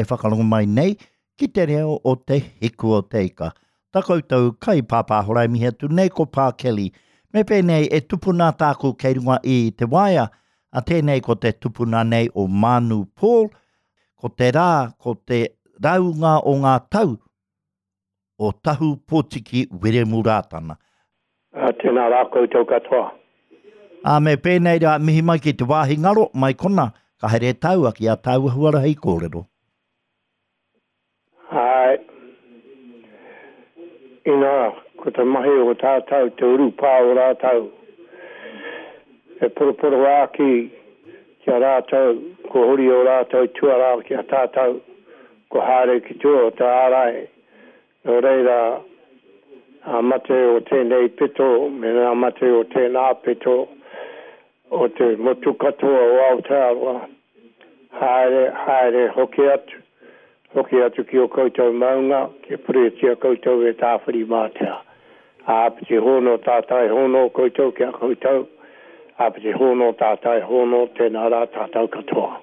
e whakarongo mai nei ki te reo o Te Hiku o Te Ika. Ta koutou kai pāpāhora e mihi atu nei ko Pā Kelly. Me pēnei e tupuna tāku kei runga i te waea, a tēnei ko te tupuna nei o Mānu Paul, ko te rā, ko te raunga o ngā tau o Tahu Potiki Wiremu Rātana. Ā, tēnā rā koutou katoa. Ā, me pēnei rā, mihi mai ki te wāhi ngaro, mai kona, ka haere tāua ki ā tāua huarahi kōrero. Āe. Inā, ko te mahi o tātou te urupā o rātou, e poroporoāki ki a rātou, ko huri ō rātou tuarā ki a tātou, ko haere ki tua o te ārai, nō reira, ngā mate o tēnei pito me ngā mate o tēnā pito o te motu katoa o Aotearoa, haere, haere, hoki atu, hoki atu ki ō koutou maunga, kia puretia koutou e Tāwhirimātea. Āpiti hōno tātai hōno koutou ki a koutou, āpiti hōno tātai hōno, tēnā rā tātou katoa.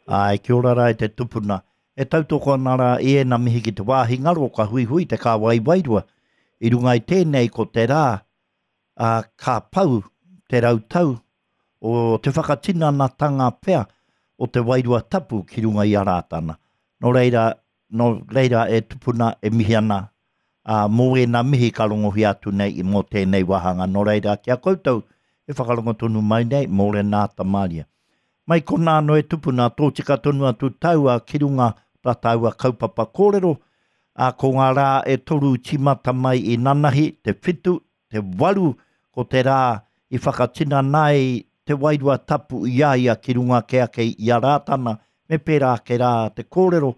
Āe, kia ora rā e te tupuna. E tautoko ana rā i ēnā mihi ki te wāhi ngaro ka huihui te kāwai wairua. I runga i tēnei ko te rā, ā, ka pau te rautau o te whakatinanatanga pea o te wairua tapu ki runga i a Rātana. Nō reira, nō reira e tupuna e mihi ana, ā, mō ēnā mihi ka rongohia atu nei i mō tēnei wāhanga. Nō reira, ki a koutou e whakarongo tonu mai nei, mōrena ata māria. Mai konā anō e tupuna, tōtika tonu atu taua ki runga tā tāua kaupapa kōrero, ā, ko ngā rā e toru tīmata mai i nanahi, te whitu, te waru, ko te rā i whakatinana ai te Wairua Tapu i a ia ki runga ake ake i a Rātana, me pērā ake rā te kōrero,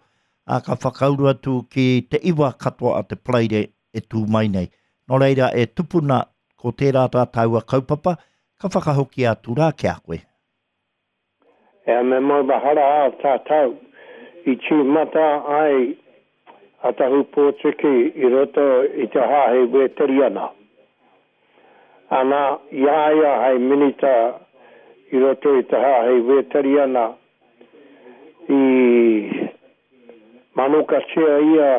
ā, ka whakauru atu ki te iwa katoa a te Paraire e tū mai nei. Nō reira, e tupuna, ko tērā tā tāua kaupapa, ka whakahokia atu rā ki a koe. Ea me maumahara a tātou i tīmata ai a Tahu Pōtiki i roto i te Hāhi Wēteriana. Ana, i a ia hei minita i roto i te Hāhi Wēteriana, i manokatia ia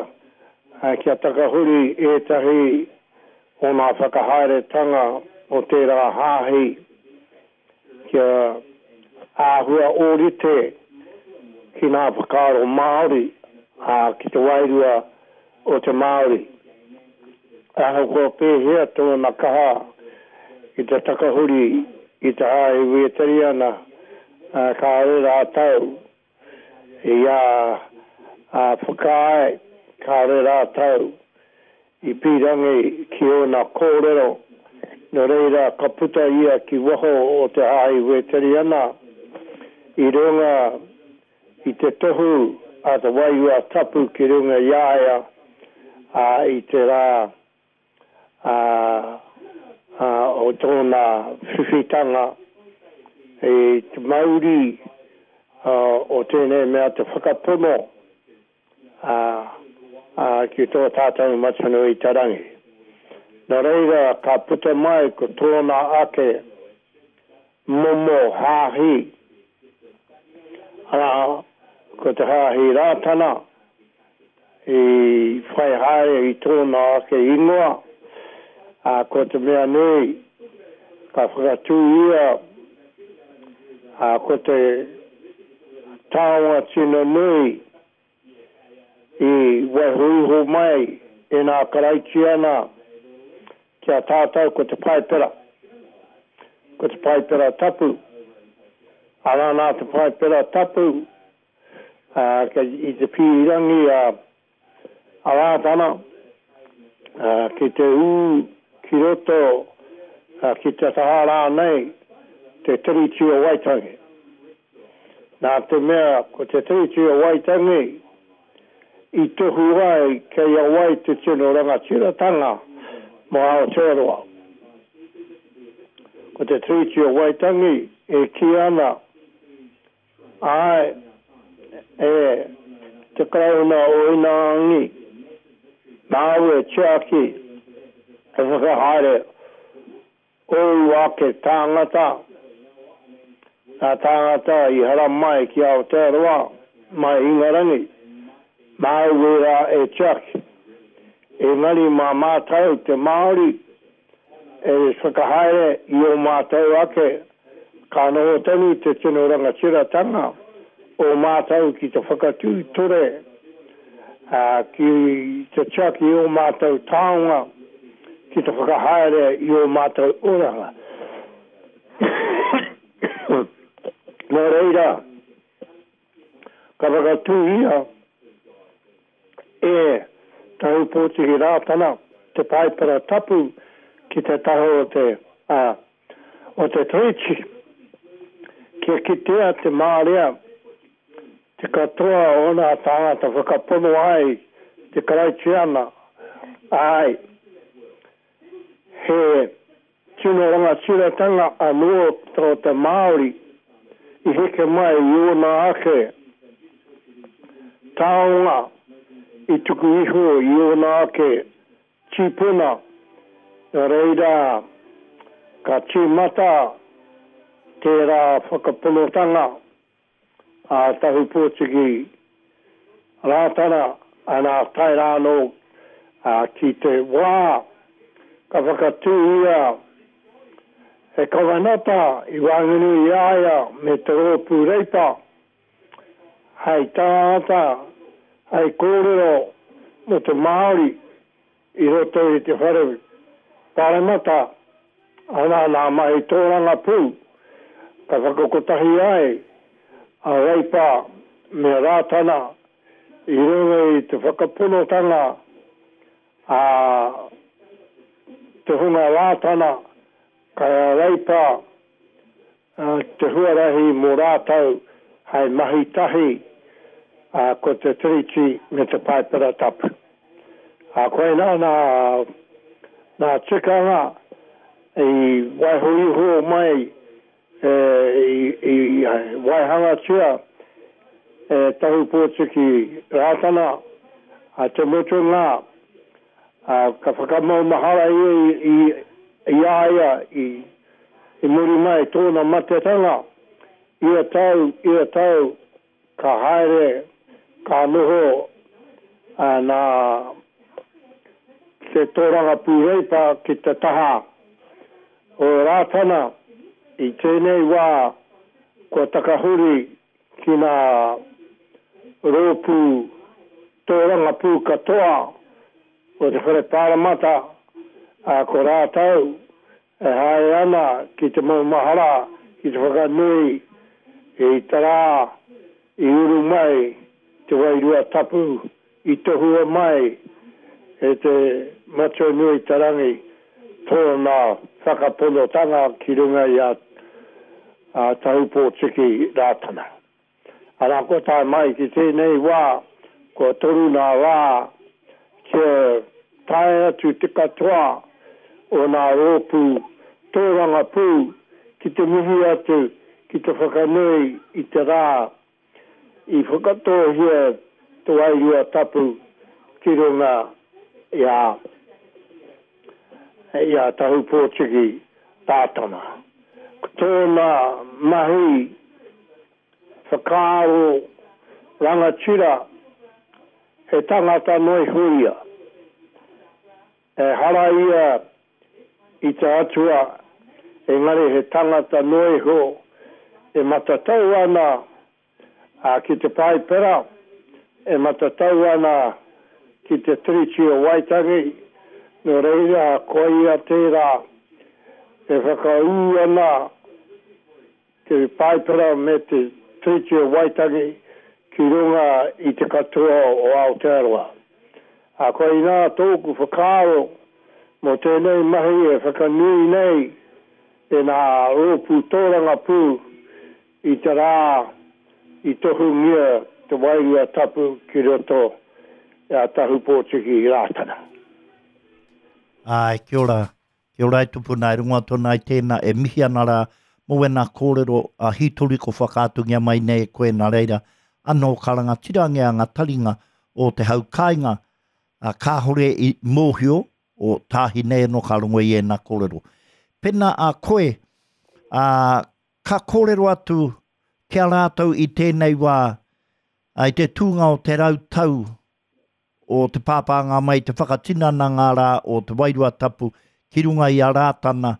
kia takahuri ētahi o ngā whakahaeretanga o tērā hāhi kia āhua ōrite ki ngā whakaaro Māori, ā, ki te wairua o te Māori. Ahakoa pēhea tōna kaha ki te takahuri i te Hāhi Wēteriana, kāore rātou i whakaae, kāore rātou i pīrangi ki ōna kōrero, nō reira ka puta ia ki waho o te Hāhi Wēteriana i runga i te tohu a te Wairua Tapu ki runga i a ia, ā, i te rā ā, o tōna whiwhitanga i te mauri o tēnei mea te whakapono, ā, ā, ki tō tātou Matua i te Rangi. Nō reira, ka puta mai ko tōna ake momo hāhi, arā, ko te Hāhi Rātana, i whai haere i tōna ake ingoa, ā, ko te mea nui, ka whakatū ia, ā, ko te taonga tino nui i waiho iho mai e ngā Karaitiana ki a tātou ko te Paipera, ko te Paipera Tapu. Arā nā te Paipera Tapu, ā, kei i te pīrangi a a Rātana, ā, ki te ū ki roto, ā, ki te taha rānei te Tiriti o Waitangi. Nā te mea ko te Tiriti o Waitangi i tohu ai kei a wai te tino rangatiratanga mō Aotearoa. Ko te Tiriti o Waitangi e kī ana, āe, e te Karauna o Ingarangi, nāu e tiaki, e whakahaere Ōu ake tāngata, ngā tāngata i haramai ki Aotearoa, mai Ingarangi, māu ērā e tiaki. Engari mā mātou te Māori e whakahaere i ō mātou ake, ka noho tonu te tino rangatiratanga o mātou ki te whakatū ture, ā, ki te tiaki i ō mātou taonga, ki te whakahaere i ō mātou oranga. Nō reira, ka whakatūhia e Tahu Pōtiki Rātana te Paipera Tapu ki te taha o te, ā, o te Tiriti, kia kitea te marea, te katoa o nā tāngata whakapono ai te Karaitiana, āe, he Tino rangatiratanga anō tō te Māori i heke mai i ōna ake taonga i tuku iho i ōna ake tīpuna, nā reira ka tīmata tērā whakaponotanga a Tahupōtiki Rātana, ana tae rā anō ki te wā ka whakatūhia he kawenata i waenganui i a ia me te Rōpū Reipa hei tāngata, hei kōrero mō te Māori i roto i te whare paremata, ana nā mahi tōrangapū ka whakakotahi ai a Reipa me Rātana i runga i te whakaponotanga a te hunga Rātana kei a Reipa te huarahi mō rātou hei mahi tahi ko te Tiriti me te Paipera Tapu. Koinā nā tikanga i waiho iho mai, i waihangatia e Tahupōtiki Rātana, te mutunga ka whakamaumahara ia i a ia i I muri mai tōna matetanga, ia tau, ia tau, ka haere, ka noho nā te tōrangapū Reipa ki te taha o Rātana. I tēnei wā kua takahuri ki ngā rōpū tōrangapū katoa o te Whare Pāremata, ā, ko rātou E haere ana ki te maumahara ki te whakanui i te rā i uru mai te Wairua Tapu i tohua mai e te Matua Nui te Rangi tōna whakaponotanga ki runga i a Tahupōtiki Rātana. Arā, kua tae mai ki tēnei wā, kua toru nā rā kia tae atu te katoa o nā rōpū tōrangapū ki te mihi atu, ki te whakanui i te rā i whakatōhia te Wairua Tapu ki runga i a i a Tahupōtiki Rātana. Ko tōna mahi whakaaro rangatira, he tangata noa iho ia. Ehara ia i te atua, engari he tangata noa iho e matatau ana ki te Paipera, e matatau ana ki te Tiriti o Waitangi, nō reira koia tērā e whakaū ana te Paipera me te Tiriti o Waitangi ki runga i te katoa o Aotearoa. Ā, koinā tōku whakaaro mō tēnei mahi e whakanui nei e ngā rōpū tōrangapū I te rā i tohungia te Wairua Tapu ki roto i a Tahupōtiki Rātana. Āe, kia ora. Kia ora e tupuna, e rongo atu ana i tēnā, e mihi ana rā mō wēnā kōrero a hītori ko whakaatungia mai nei e koe nā reira anō ka rangatirangia ngā taringa o te hau kāinga, ā, kāore i mōhio o tāhi nei anō ka rongo i ēnā kōrero. Pēnā a koe, ā, Ka kōrero atu ki a rātou i tēnei wā, I te tūnga o te rautau o te pāpānga mai te whakatinana ngā rā o te Wairua Tapu ki runga i a Rātana,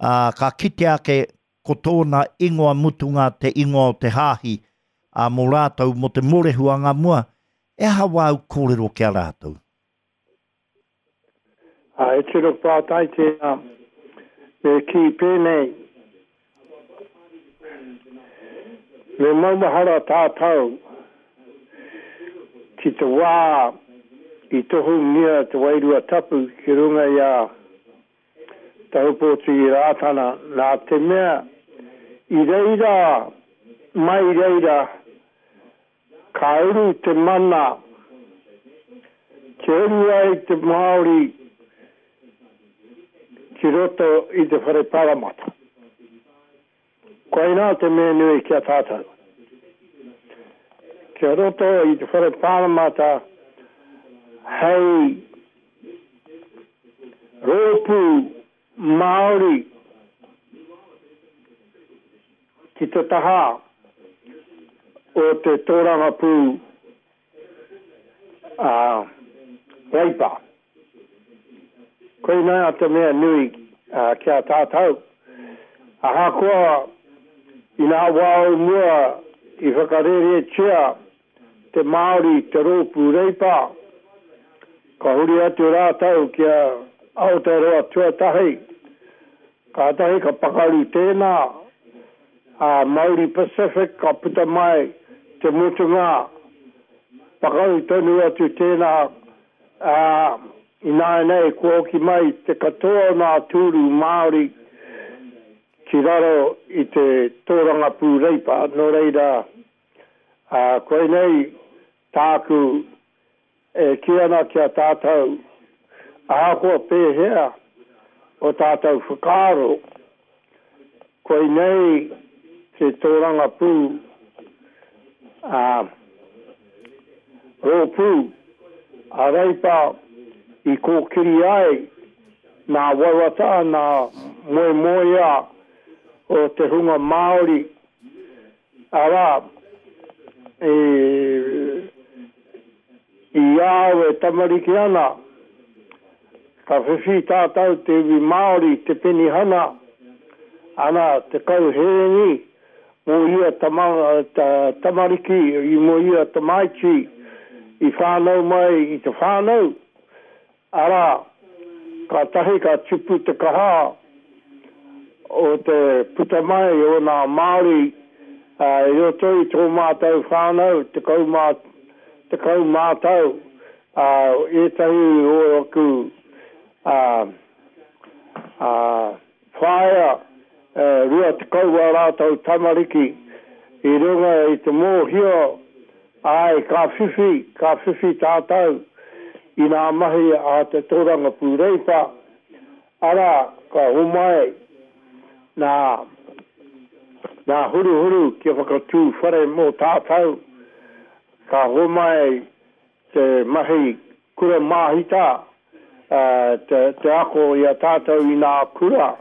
ā, ka kite ake ko tōna ingoa mutunga te ingoa o te hāhi, ā, mō rātou, mō te mōrehu angamua, he aha wāu kōrero ki a rātou? Ā, he tino pātai tēnā. Me kī pēnei, me maumahara tātou ki te wā i tohungia te Wairua Tapu ki runga i a Tahupōtiki Rātana, nā te mea i reira, mai reira, ka uru te mana kia uru ai te Māori ki roto i te whare paramata. Koinā te mea nui ki a tātou. Kia roto i te whare pāremata hei rōpū Māori ki te taha o te tōrangapū a Reipa. Koinā te mea nui ki a tātou. Ahakoa i ngā wā o mua i whakarēretia te Māori te rōpū Reipa, ka huri atu rātou ki a Aotearoa Tuatahi, kātahi ka pakaru tēnā, a Māori Pacific ka puta mai te mutunga, pakaru tonu atu tēnā, ā, ināianei kua hoki mai te katoa o ngā tūru Māori ki raro i te tōrangapū Reipa, nō reira, ā, koinei tāku e kī ana ki a tātou, ahakoa pēhea o tātou whakaaro, koinei te tōrangapū, ā, rōpū a Reipa i kōkiri ai nā wawata, nā moemoeā o te hunga Māori Arā, i, i a au e tamariki ana, ka whiwhi tātou te iwi Māori te penihana, ana, 10 hēngi mō ia tama, ta, tamariki, mō ia tamaiti i whānau mai i te whānau, Arā, kātahi ka tupu te kaha o te puta mai o nā Māori i roto i tō mātou whānau, 10 tau, ētahi o aku whaea, 20 ā rātou tamariki i runga i te mōhio Āe, ka whiwhi, ka whiwhi tātou i nā mahi a te tōrangapū Reipa, arā, ka homai nā, nā Huruhuru kia whakatū whare mō tātou, ka homai te mahi kura māhita, te, te ako i a tātou i nā kura,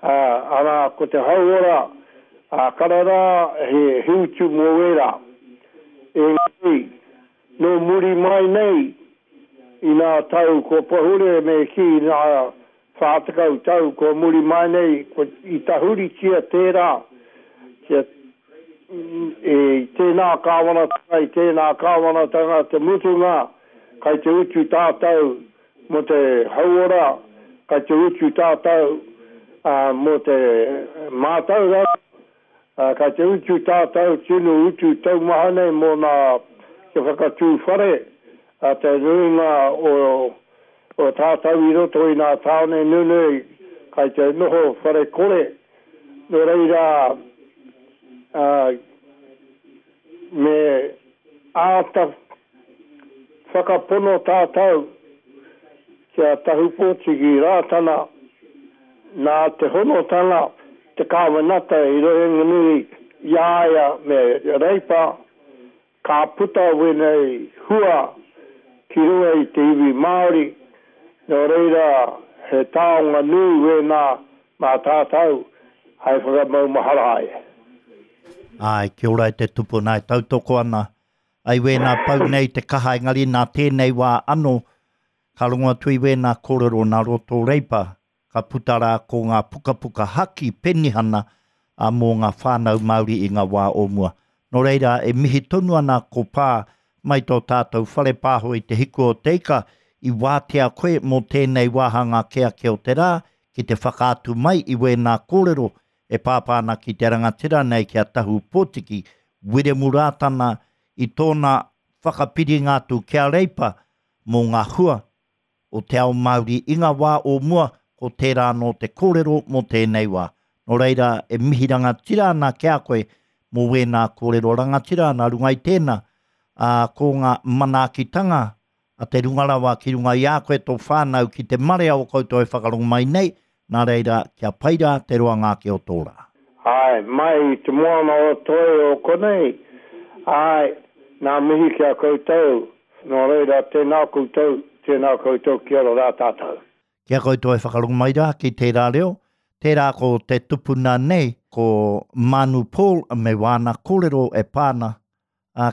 arā, ko te hauora, ā, karara he, he utu mō ērā. Engari, nō muri mai nei, i nā tau kua pahure me kī nā 40 tau kua muri mai nei, kua, i tahuritia tērā kia, i tēnā kāwanatanga, i tēnā kāwanatanga te mutunga, kai te utu tātou mō te hauora, kai te utu tātou mō te mātauranga, kai te utu tātou tino utu taumaha nei mō nā kia whakatū whare a te nuinga o o tātou i roto i nā tāone nunui kai te noho whare kore. Nō reira, me āta whakapono tātou ki a Tahupōtiki Rātana nā te honotanga te kāwanata i Rohenganui i a ia me Reipa ka puta wēnei hua ki runga i te iwi Māori, nō reira he taonga nui wēnā mā tātou hai whakamaumahara ai. Āe, kia ora e te tupuna e tautoko ana. Ai wēnā pau nei te kaha engari nā tēnei wā anō ka rongo atu i wēnā kōrero nā roto Reipa ka puta rā ko ngā pukapuka haki penihana a mō ngā whānau Māori i ngā wā o mua. Nō reira, e mihi tonu ana ko Pā mai tō tātou whare pāho i Te Hiku o Te Ika i wātea koe mō tēnei wāhanga ake ake o te rā ki te whakaatu mai i wēnā kōrero e pāpā ana ki te rangatira nei ki a Tahu Pōtiki, Wiremu Rātana i tōna whakapiringa atu ki a Reipa mō ngā hua o te ao Māori i ngā wā o mua, ko tērā anō te kōrero mō tēnei wā. Nō reira, e mihi rangatira ana ki a koe mō wēnā kōrero rangatira nā runga i tēnā, ā, ko ngā manaakitanga a te runga rawa ki runga i a koe tō whānau ki te marea o koutou e whakarongo mai nei, nā reira, kia pai rā te roanga ake o tō rā. Āe, mai i te moana o Toi o konei, āe, nā mihi ki a koutou, nō reira, tēnā koutou, tēnā koutou, kia ora rā tātou. Ki a koutou e whakarongo mai rā ki tērā reo, tērā ko te tupuna nei, ko Manu Paul me wāna kōrero e pā ana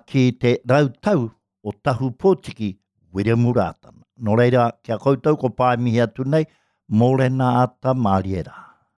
ki te rautau o Tahu Pōtiki, Wiremu Rātana. Nō reira, ki a koutou ko Pae mihi atu nei, mōrena ata mārie rā.